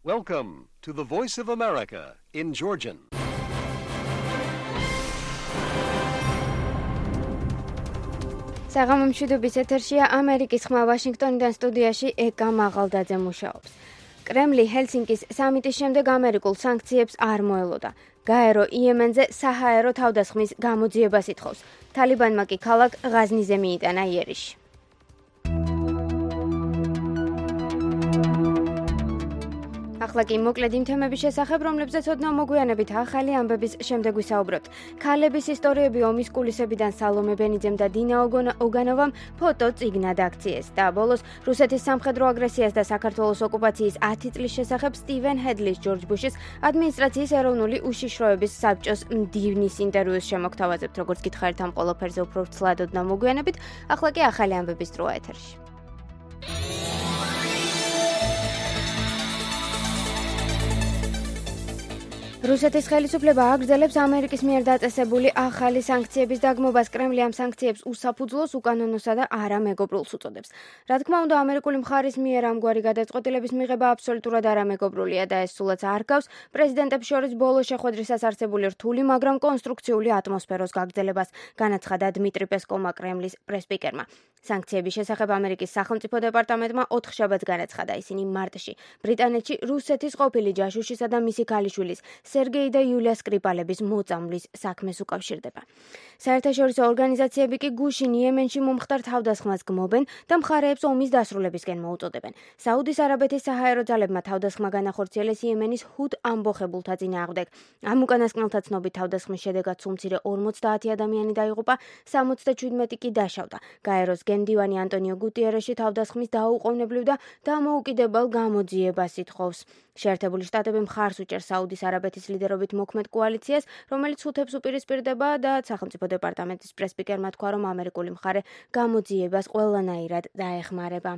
Welcome to the Voice of America in Georgian. საღამო მშვიდობის ეთერშია ამერიკის ხმა ვაშინგტონიდან სტუდიაში ეკა მაღალდაძე მუშაობს. კრემლი ჰელსინკის სამიტის შემდეგ ამერიკულ სანქციებს არ მოელოდა. გაერო იემენზე საჰაერო თავდასხმის გამოძიებას ითხოვს. თალიბანმა კი ქალაქ ღაზნიზე მიიტანა იერიში. ახლა კი მოკლედ იმ თემების შესახებ, რომლებზეც ოდნავ მოგვიანებით ახალი ამბების შემდეგ ვისაუბრებთ. ქალების ისტორიები ომის კულისებიდან სალომე ბენიძემ და დინა ოგანოვამ ფოტო წიგნად აქციეს და ბოლოს რუსეთის სამხედრო აგრესიას და საქართველოს ოკუპაციის 10 წლის შესახებ სტივენ ჰედლის ჯორჯ ბუშის ადმინისტრაციის ეროვნული უშიშროების საბჭოს მდივნის ინტერვიუს შემოგთავაზებთ. როგორც გითხარით ამ ყველაფერზე უფრო ვრცლად ოდნავ მოგვიანებით, ახლა კი ახალი ამბების დროა ეთერში. რუსეთის ხელისუფლება აგრძელებს ამერიკის მიერ დაწესებული ახალი სანქციების დაგმობას. კრემლი ამ სანქციებს უსაფუძვლოს, უკანონოსა და არამეგობრულს უწოდებს. რა თქმა უნდა, ამერიკული მხარის მიერ ამგვარი გადაწყვეტილების მიღება აბსოლუტურად არამეგობრულია და ეს სულაც არ გავს პრეზიდენტებს შორის ბოლო შეხვედრისას არსებული რთული, მაგრამ კონსტრუქციული ატმოსფეროს გაგრძელებას, განაცხადა დმიტრი პესკოვმა კრემლის პრესსპიკერმა. სანქციების შესახებ ამერიკის სახელმწიფო დეპარტამენტმა 4 შაბათს განაცხადა. ისინი მარტში ბრიტანეთში რუსეთის ყოფილი ჯაშუშისა და მისი ქალიშვილის სერგეი და იულია სკრიპალების მოწამვლის საქმეს უკავშირდება. საერთაშორისო ორგანიზაციები კი გუშინ იემენში მომხდარ თავდასხმას გმობენ და მხარეებს ომის დასრულებისკენ მოუწოდებენ. საუდის არაბეთის საჰაერო ძალებმა თავდასხმა განახორციელეს იემენის ჰუდ ამბოხებულთა წინააღმდეგ. ამ უკანასკნელთა ცნობით თავდასხმის შედეგად სულ მცირე 50 ადამიანი დაიღუპა, 77 კი დაშავდა. გაეროს გენდივანი ანტონიო გუტიერეში თავდასხმის დაუყოვნებლივ და დამოუკიდებელ გამოძიებას ითხოვს. შეერთებული შტატები მხარს უჭერს საუდის არაბეთის ლიდერობით მოქმედ კოალიციას, რომელიც ჰუთებს უპირისპირდება და სახელმწიფო დეპარტამენტის პრესსპიკერმა თქვა, რომ ამერიკული მხარე გამოძიებას ყველანაირად დაეხმარება.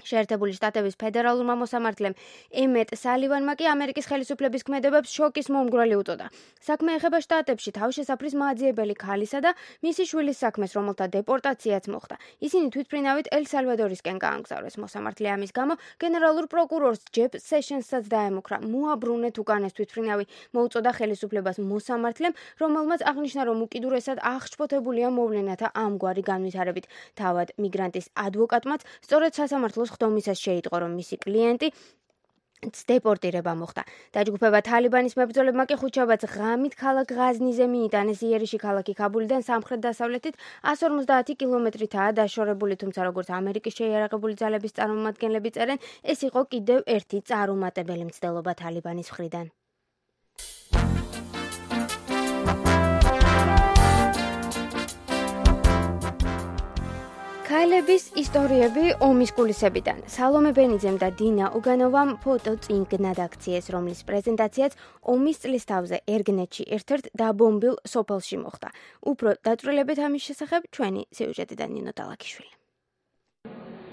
შეერთებული შტატების ფედერალურმა მოსამართლემ ემეტ სალივანმა კი ამერიკის ხელისუფლების ქმედებებს შოკის მომგვრელი უწოდა. საქმე ეხება შტატებში თავშესაფრის მაძიებელი ქალისა და მისი შვილის საქმეს, რომელთა დეპორტაციაც მოხდა. ისინი თვითმფრინავით ელ-სალვადორისკენ გაამგზავრეს. მოსამართლე ამის გამო გენერალურ პროკურორს ჯეფ სეშენსსაც დაემუქრა. მოაბრუნეთ უკანეს თვითმფრინავი მოუწოდა ხელისუფლებას მოსამართლემ, რომელმაც აღნიშნა, რომ უკიდურესად აღშფოთებულია მოვლენათა ამგვარი განვითარებით. თავად მიგრანტის ადვოკატმაც სწორედ სასამართლოს ხდომისას შეიტყო, რომ მისი კლიენტი დეპორტირება მოხდა. დაჯგუფება თალიბანის მებრძოლებმა კი ხუთშაბათს ღამით ქალაქ ღაზნიზე მიიტანეს. იერიში ქალაქი ქაბულიდან სამხრეთ-დასავლეთით 150 კილომეტრითაა დაშორებული, თუმცა როგორც ამერიკის შეიარაღებული ძალების წარმომადგენლები წერენ, ეს იყო კიდევ ერთი წარუმატებელი მცდელობა თალიბანის მხრიდან. ქალების ისტორიები ომის კულისებიდან. სალომე ბენიძემ და დინა ოგანოვამ ფოტო წიგნად აქციეს, რომლის პრეზენტაციაც ომის წლის თავზე ერგნეთში ერთ-ერთ დაბომბილ სოფელში მოხდა. უფრო დაწვრილებით ამის შესახებ ჩვენი სიუჟეტიდან ნინო დალაქიშვილი.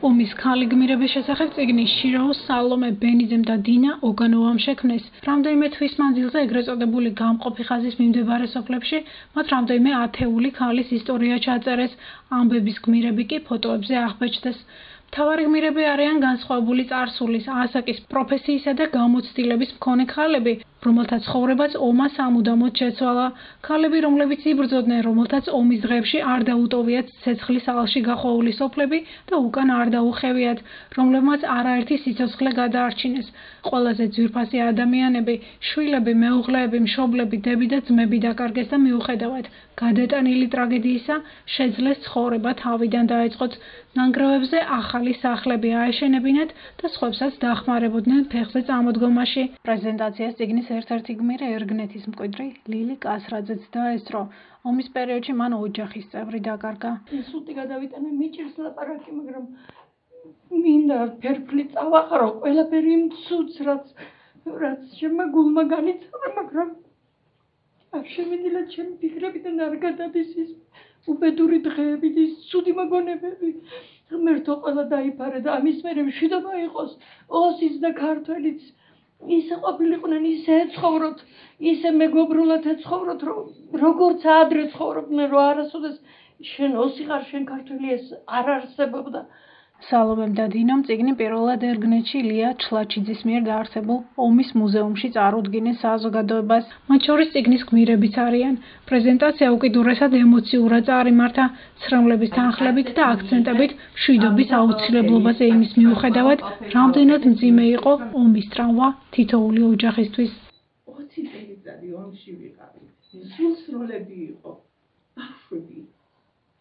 ომის ქალი გმირების შესახებ წიგნი შირაოს სალომე ბენიძემ და დინა ოგანოვამ შექმნეს. რამდენიმე თვის მანძილზე ეგრეთ წოდებული გამყოფი ხაზის მიმდებარე სოფლებში მათ რამდენიმე ათეული ქალის ისტორია ჩაწერეს. ამბების გმირები კი ფოტოებზე აღბეჭდეს. მთავარი გმირები არიან განსხვავებული წარსულის, ასაკის, პროფესიისა და გამოცდილების მქონე ქალები, რომელთა ცხოვრებაც ომმა სამუდამოდ შეცვალა. ქალები, რომლებიც იბრძოდნენ, რომელთაც ომის დღეებში არ დაუტოვიათ ცეცხლის ალში გახვეული სოფლები და უკან არ დაუხევიათ, რომლებმაც არაერთი სიცოცხლე გადაარჩინეს. ყველაზე ძვირფასი ადამიანები, შვილები, მეუღლეები, მშობლები, დები და ძმები დაკარგეს და მიუხედავად გადატანილი ტრაგედიისა, შეძლეს ცხოვრება თავიდან დაეწყოთ. ნანგრევებზე ახალი სახლები აეშენებინათ და სხვებსაც დახმარებოდნენ ფეხზე წამოდგომაში. პრეზენტაციას წიგნის ერთ-ერთი გმირი ერგნეთის მკვიდრი ლილი კასრაძეც დაესწრო. ომის პერიოდში მან ოჯახის წევრი დაკარგა. სულტი გადავიტანე მიჭირს ლაპარაკი, მაგრამ მინდა ფერფლი წავაყარო ყველაფერი იმ ცუდს, რაც ჩემმა გულმა განიცადა, მაგრამ არ შემიძლია ჩემი ფიქრებიდან არ გადადის ის უბედური დღეები, ის ცუდი მოგონებები. ღმერთო ყველა დაიფარა და ამის მერე მშვიდობა იყოს ოსიც და ქართველიც. ისე ყოფილიყვნენ, ისე ეცხოვროთ, ისე მეგობრულად ეცხოვროთ, როგორც ადრე ცხოვრობდნენ, რომ არასოდეს შენ ოსი ხარ, შენ ქართველი, ეს არ არსებობდა. სალომემ და დინომ წიგნი პირველად ერგნეთში ილია ჩლაჩიძის მიერ დაარსებულ ომის მუზეუმში წარუდგინეს საზოგადოებას. მათ შორის წიგნის გმირებიც არიან. პრეზენტაცია უკიდურესად ემოციურად წარიმართა, ცრემლების თანხლებით და აქცენტებით მშვიდობის აუცილებლობაზე იმის მიუხედავად, რამდენად მძიმე იყო ომის ტრავმა თითოეული ოჯახისთვის. 20 წელიწადი ომში ვიყავით. სულსროლები იყო, ბავშვები,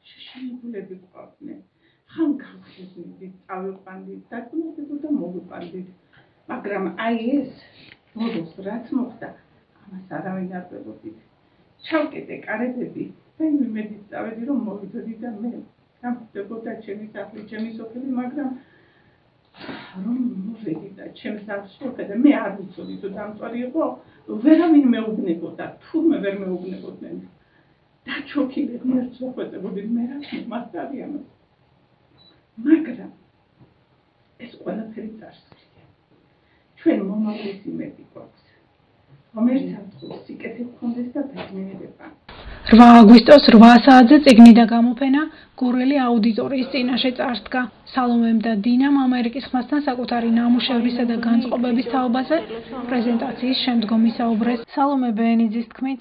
შეშინებულები ყვავდნენ. ხან გავხსნით, წავიყვანდით, დაკუნებოდა მოვიყვანდით. მაგრამ აი ეს მოდოს რაც მოხდა, ამას არავინ არ ველოდით. ჩავკეტე კარებები და იმედით წავედი, რომ მოვიდოდი და მე გამხდებოდა ჩემი სახლი, ჩემი სოფელი, მაგრამ რომ მოვედი და ჩემს სახლში ვხედე, მე არ ვიცოდი თუ დამწვარი იყო, ვერავინ მეუბნებოდა, თურმე ვერ მეუბნებოდნენ. დაჩოქილი ღმერთს ვეხვეწებოდი, მე რაც მომასწარი ამას. მაგრამ ეს ყველაფერი წარსულია. ჩვენ მომავლის იმედი გვაქვს. რომელსაც სიკეთე გქონდეს და ბედნიერება. 8 აგვისტოს 8 საათზე წიგნი და გამოფენა გურელი აუდიტორიის წინაშე წარსდგა. სალომემ და დინამ ამერიკის ხმასთან საკუთარი ნამუშევრისა და განწყობების თაობაზე პრეზენტაციის შემდგომ ისაუბრეს. სალომე ბენიძის თქმით,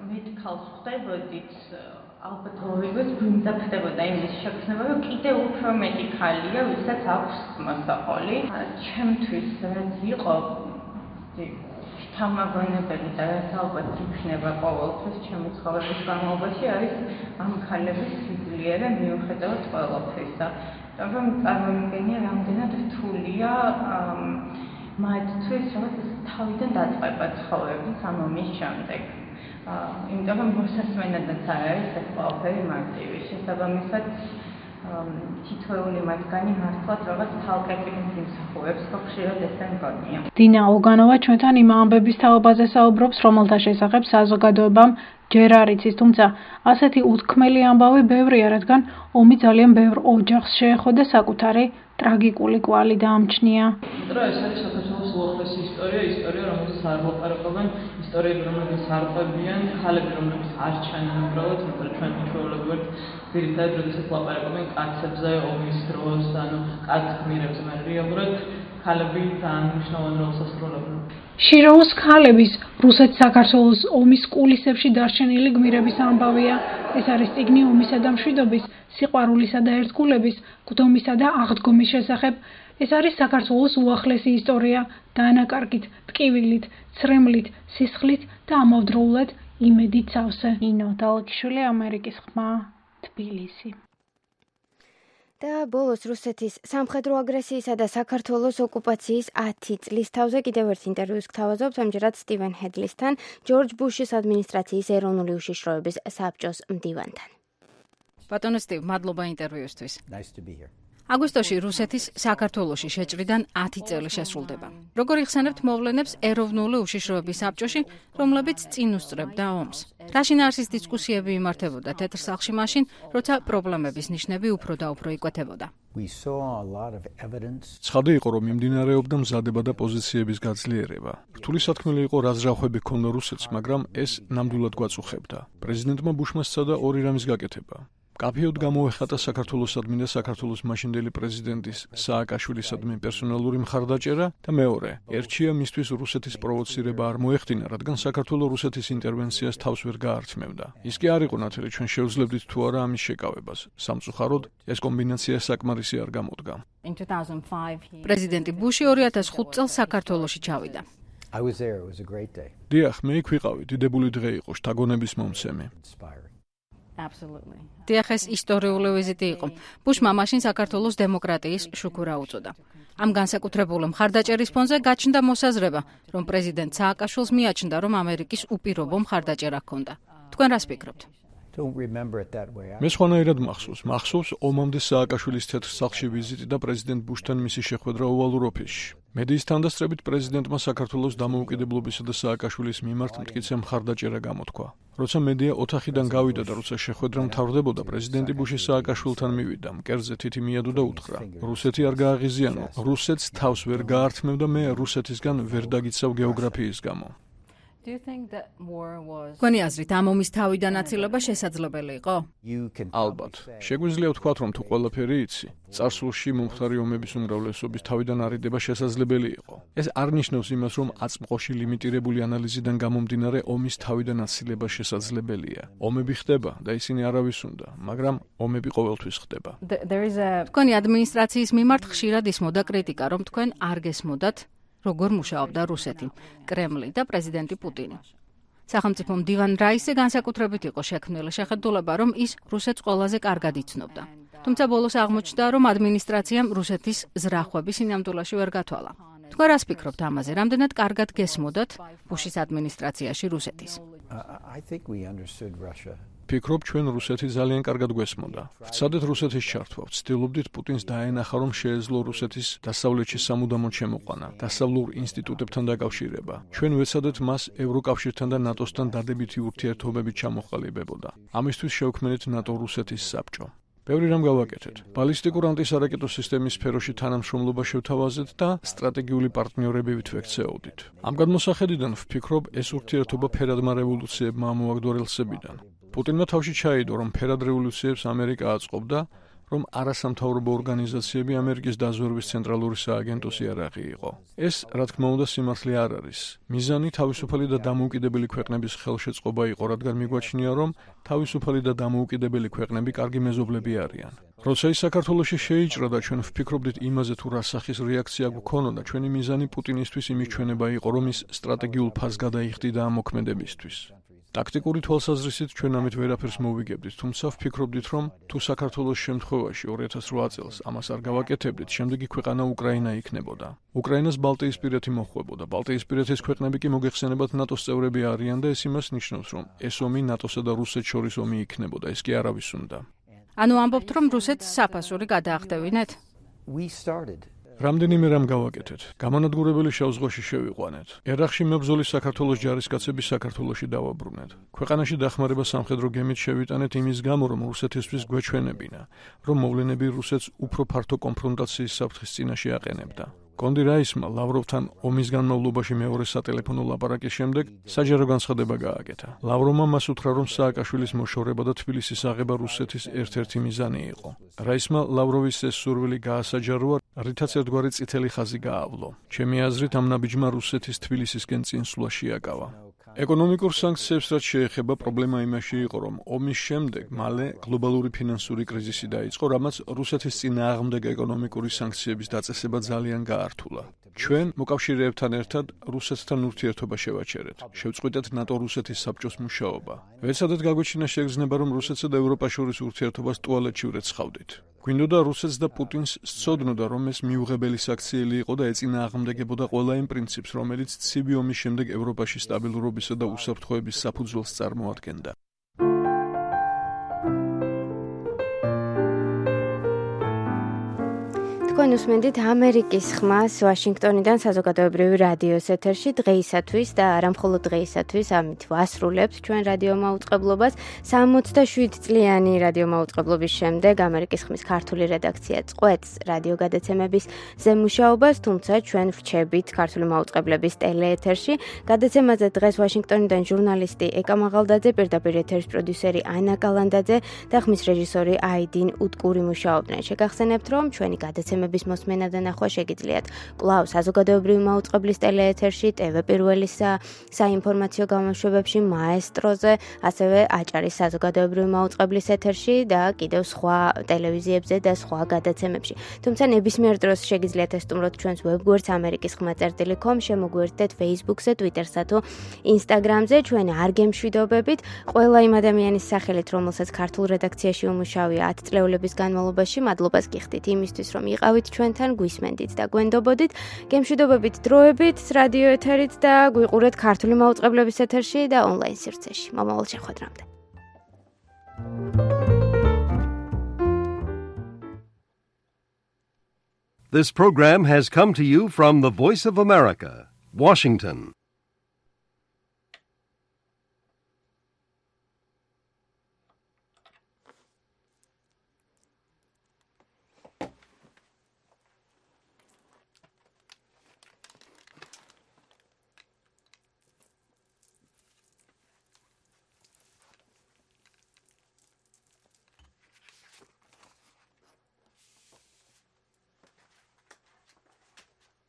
მე თქალს ხდებოდით ალბათ ორივეს გვიმძაფრდებოდა იმის შექმნება, რომ კიდევ უფრო მეტი ხალია, ვისაც აქვს მოსაყოლი. ჩემთვის რაც იყო შთამაგონებელი და რაც ალბათ იქნება ყოველთვის ჩემი ცხოვრების განმავლობაში არის ამ ხალების სიძლიერე მიუხედავად ყველაფრისა. მაგრამ წარმოვიდგენია, რამდენად რთულია მათთვის რაღაც თავიდან დაწყება ცხოვრების ამ ომის შემდეგ. იმიტომ რომ მოსასმენადაც არ არის ეს ყველაფერი მარტივი. შესაბამისად, თითოეული მათგანი მართლაც რაღაც თალკეპის იმსახურებს, ხო ხშირად ესე მგონია. დინა ოგანოვა ჩვენთან იმ ამბების თაობაზე საუბრობს, რომელთა შესახებ საზოგადოებამ ჯერ არ იცის, თუმცა ასეთი უთქმელი ამბავი ბევრია, რადგან ომი ძალიან ბევრ ოჯახს შეეხო და საკუთარი ტრაგიკული კვალი დაამჩნია. Tra ეს არის საქართველოს უახლესი ისტორია, რომელსაც არ ვლაპარაკობენ, ისტორიები, რომლებიც არ ყვებიან, ხალები, რომლებიც არ ჩანენ უბრალოდ, იმიტომ რომ ჩვენ ჩვეულებრივ ვართ ძირითადად, როდესაც ვლაპარაკობენ კაცებზე, ომის დროს, ანუ კაც გმირებზე, მაგრამ რეალურად ხალები ძალიან მნიშვნელოვან როლს ასრულებენ. შიროუს ხალების რუსეთ-საქართველოს ომის კულისებში დარჩენილი გმირების ამბავია. ეს არის წიგნი ომისა და მშვიდობის, სიყვარულისა და ერთგულების, გვდომისა და აღდგომის შესახებ. ეს არის საქართველოს უახლესი ისტორია, დანაკარგით, ტკივილით, ცრემლით, სისხლით და ამავდროულად იმედით სავსე. ინო დალქიშვილი, ამერიკის ხმა, თბილისი. და ბოლოს რუსეთის სამხედრო აგრესიისა და საქართველოს ოკუპაციის 10 წლის თავზე კიდევ ერთ ინტერვიუს გთავაზობთ, ამჯერად სტივენ ჰედლისთან, ჯორჯ ბუშის ადმინისტრაციის ეროვნული უშიშროების საბჭოს მდივანთან. ბატონო სტივ, მადლობა ინტერვიუსთვის. აგვისტოში რუსეთის საქართველოში შეჭრიდან 10 წელი შესრულდება. როგორ იხსენებთ მოვლენებს ეროვნული უშიშროების საბჭოში, რომლებიც წინ უსწრებდა ომს? რა შინაარსის დისკუსიები იმართებოდა თეთრ სახლში მაშინ, როცა პრობლემების ნიშნები უფრო და უფრო იკვეთებოდა? ცხადი იყო, რომ მიმდინარეობდა მზადება და პოზიციების გაძლიერება. რთული სათქმელი იყო, რა ზრახვები ჰქონდა რუსეთს, მაგრამ ეს ნამდვილად გვაწუხებდა. პრეზიდენტმა ბუშმა სცადა ორი რამის გაკეთება. კაფეოდ გამოეხატა საქართველოსადმი და საქართველოს მაშინდელი პრეზიდენტის სააკაშვილისადმი პერსონალური მხარდაჭერა და მეორე, ერთშია მისთვის რუსეთის პროვოცირება არ მოეხდინა, რადგან საქართველოს რუსეთის ინტერვენციას თავს ვერ გაართმევდა. ის კი არ იყო ნათელი, ჩვენ შევძლებდით თუ არა ამის შეკავებას. სამწუხაროდ, ეს კომბინაცია საკმარისი არ გამოდგა. პრეზიდენტი ბუში 2005 წელს საქართველოში ჩავიდა. დიახ, მე იქ ვიყავი, დიდებული დღე იყო, შთაგონების მომცემი. დიახ, ეს ისტორიული ვიზიტი იყო. ბუშმა მაშინ საქართველოს დემოკრატიის შუქურა უწოდა. ამ განსაკუთრებული მხარდაჭერის ფონზე გაჩნდა მოსაზრება, რომ პრეზიდენტ სააკაშვილს მიაჩნდა, რომ ამერიკის უპირობო მხარდაჭერა ჰქონდა. თქვენ რას ფიქრობთ? მე სხვანაირად მახსოვს ომამდე სააკაშვილის თეთრ სახლში ვიზიტი და პრეზიდენტ ბუშთან მისი შეხვედრა ოვალურ ოფისში. მედიის თანდასწრებით პრეზიდენტმა საქართველოს დამოუკიდებლობისა და სააკაშვილის მიმართ მტკიცე მხარდაჭერა გამოთქვა. როცა მედია ოთახიდან გავიდა და როცა შეხვედრა მთავრდებოდა, პრეზიდენტი ბუში სააკაშვილთან მივიდა, მკერდზე თითი მიადო და უთხრა: რუსეთი არ გააღიზიანო, რუსეთს თავს ვერ გაართმევ და მე რუსეთისგან ვერ დაგიცავ გეოგრაფიის გამო. თქვენი აზრით ამ ომის თავიდან აცილება შესაძლებელი იყო? ალბათ. შეგვიძლია ვთქვათ, რომ თუ ყველაფერი იცი, წარსულში მომხდარი ომების უმრავლესობის თავიდან არიდება შესაძლებელი იყო. ეს არ ნიშნავს იმას, რომ აწმყოში ლიმიტირებული ანალიზიდან გამომდინარე ომის თავიდან აცილება შესაძლებელია. ომები ხდება და ისინი არავის უნდა, მაგრამ ომები ყოველთვის ხდება. თქვენი ადმინისტრაციის მიმართ ხშირად ისმოდა კრიტიკა, რომ თქვენ არ გესმოდათ, როგორ მუშაობდა რუსეთი, კრემლი და პრეზიდენტი პუტინი. სახელმწიფო მდივან რაისი განსაკუთრებით იყო შექმნილი შეხედულება, რომ ის რუსეთს ყველაზე კარგად იცნობდა. თუმცა ბოლოს აღმოჩნდა, რომ ადმინისტრაციამ რუსეთის ზრახვები სინამდვილეში ვერ გათვალა. თქვენ რას ფიქრობთ ამაზე? რამდენად კარგად გესმოდათ ბუშის ადმინისტრაციაში რუსეთის? ფიქრობ, ჩვენ რუსეთი ძალიან კარგად გვესმოდა. ვცადეთ რუსეთის ჩართვა, ვცდილობდით პუტინს დაენახა, რომ შეეძლო რუსეთის დასავლეთში სამუდამოდ შემოყვანა, დასავლურ ინსტიტუტებთან დაკავშირება. ჩვენ ვეცადეთ მას ევროკავშირთან და ნატოსთან დადებითი ურთიერთობებით ჩამოყალიბებოდა. ამისთვის შევქმნით ნატო-რუსეთის საბჭო. ბევრი რამ გავაკეთეთ. ბალისტიკურ ანტისარაკეტო სისტემის სფეროში თანამშრომლობა შევთავაზეთ და სტრატეგიული პარტნიორები ვექცეოდით. ამ გადმოსახედიდან ვფიქრობ, ეს ურთიერთობა ფერადმა რევოლუციებმა ამოაგდო რელსებიდან. პუტინმა თავში ჩაიდო, რომ ფერად რევოლუციებს ამერიკა აწყობდა, რომ არასამთავრობო ორგანიზაციები ამერიკის დაზვერვის ცენტრალური სააგენტოს იარაღი იყო. ეს, რა თქმა უნდა, სიმართლე არ არის. მიზანი თავისუფალი და დამოუკიდებელი ქვეყნების ხელშეწყობა იყო, რადგან მიგვაჩნია, რომ თავისუფალი და დამოუკიდებელი ქვეყნები კარგი მეზობლები არიან. როცა ის საქართველოში შეიჭრა და ჩვენ ვფიქრობდით იმაზე, თუ რა სახის რეაქცია გვქონოდა, ჩვენი მიზანი პუტინისთვის იმის ჩვენება იყო, რომ ის სტრატეგიულ ფასს გადაიხდიდა ამ მოქმედებისთვის. ტაქტიკური თვალსაზრისით ჩვენ ამით ვერაფერს მოვიგებდით, თუმცა ვფიქრობდით, რომ თუ საქართველოს შემთხვევაში 2008 წელს ამას არ გავაკეთებდით, შემდეგი ქვეყანა უკრაინა იქნებოდა. უკრაინას ბალტიისპირეთი მოჰყვებოდა. ბალტიისპირეთის ქვეყნები კი მოგეხსენებათ ნატოს წევრები არიან და ეს იმას ნიშნავს, რომ ეს ომი ნატოსა და რუსეთს შორის ომი იქნებოდა. ეს კი არავის უნდა. ანუ ამბობთ, რომ რუსეთს საფასური გადაახდევინეთ? რამდენიმე რამ გავაკეთეთ. გამანადგურებელი შავ ზღვაში შევიყვანეთ. ერახში მებრძოლი საქართველოს ჯარისკაცები საქართველოში დავაბრუნეთ. ქვეყანაში დახმარება სამხედრო გემით შევიტანეთ იმის გამო, რომ რუსეთისთვის გვეჩვენებინა, რომ მოვლენები რუსეთს უფრო ფართო კონფრონტაციის საფრთხის წინაშე აყენებდა. კონდი რაისმა ლავროვთან ომის განმავლობაში მეორე სატელეფონო ლაპარაკის შემდეგ საჯარო განცხადება გააკეთა. ლავროვმა მას უთხრა, რომ სააკაშვილის მოშორება და თბილისის აღება რუსეთის ერთ-ერთი მიზანი იყო. რაისმა ლავროვის ეს სურვილი გაასაჯაროა, რითაც ერთგვარი წითელი ხაზი გაავლო. ჩემი აზრით, ამ ნაბიჯმა რუსეთის თბილისისკენ წინსვლა შეაკავა. ეკონომიკურ სანქციებს რაც შეეხება, პრობლემა იმაში იყო, რომ ომის შემდეგ მალე გლობალური ფინანსური კრიზისი დაიწყო, რამაც რუსეთის წინააღმდეგ ეკონომიკური სანქციების დაწესება ძალიან გაართულა. ჩვენ მოკავშირეებთან ერთად რუსეთთან ურთიერთობა შევაჩერეთ. შევწყვიტეთ ნატო-რუსეთის საბჭოს მუშაობა. ვეცადეთ გაგვეჩინა შეგრძნება, რომ რუსეთსა და ევროპას შორის ურთიერთობას ტუალეტში ვრეცხავდით. გვინდოდა რუსეთს და პუტინს სცოდნოდა, რომ ეს მიუღებელი საქციელი იყო და ეწინააღმდეგებოდა ყველა იმ პრინციპს, რომელიც ცივი ომის შემდეგ ევროპაში სტაბილურობისა და უსაფრთხოების საფუძველს წარმოადგენდა. თქვენ უსმენთ ამერიკის ხმას ვაშინგტონიდან საზოგადოებრივი რადიოს ეთერში დღეისათვის და არა მხოლოდ დღეისათვის, ამით ვასრულებთ ჩვენ რადიო მაუწყებლობას. 67 წლიანი რადიო მაუწყებლობის შემდეგ ამერიკის ხმის ქართული რედაქცია წყვეტს რადიო გადაცემების ზემუშაობას, თუმცა ჩვენ ვრჩებით ქართული მაუწყებლების ტელეეთერში. გადაცემაზე დღეს ვაშინგტონიდან ჟურნალისტი ეკა მაღალდაძე, პირდაპირ ეთერის პროდიუსერი ანა კალანდაძე და ხმის რეჟისორი აიდინ უტკური მუშაობდნენ. შეგახსენებთ, რომ ჩვენი გადაცემები მოსმენა და ნახვა შეგიძლიათ კვლავ საზოგადოებრივი მაუწყებლის ტელეეთერში, TV პირველის საინფორმაციო გამოშვებებში, მაესტროზე, ასევე აჭარის საზოგადოებრივი მაუწყებლის ეთერში და კიდევ სხვა ტელევიზიებზე და სხვა გადაცემებში. თუმცა ნებისმიერ დროს შეგიძლიათ ესტუმროთ ჩვენს ვებგვერდს amerikiskhma.com, შემოგვიერთდეთ Facebook-ზე, Twitter-სა თუ Instagram-ზე. ჩვენ არ გემშვიდობებით. ყველა იმ ადამიანის სახელით, რომელსაც ქართულ რედაქციაში უმუშავია 10 წლეულების განმავლობაში, მადლობას გიხდით იმისთვის, რომ იყავით ჩვენთან, გვისმენდით და გვენდობოდით. გემშვიდობებით დროებით, რადიო ეთერით და გვიყურეთ ქართული მაუწყებლების ეთერში და ონლაინ სივრცეში. მომავალ შეხვედრამდე. This program has come to you from the Voice of America, Washington.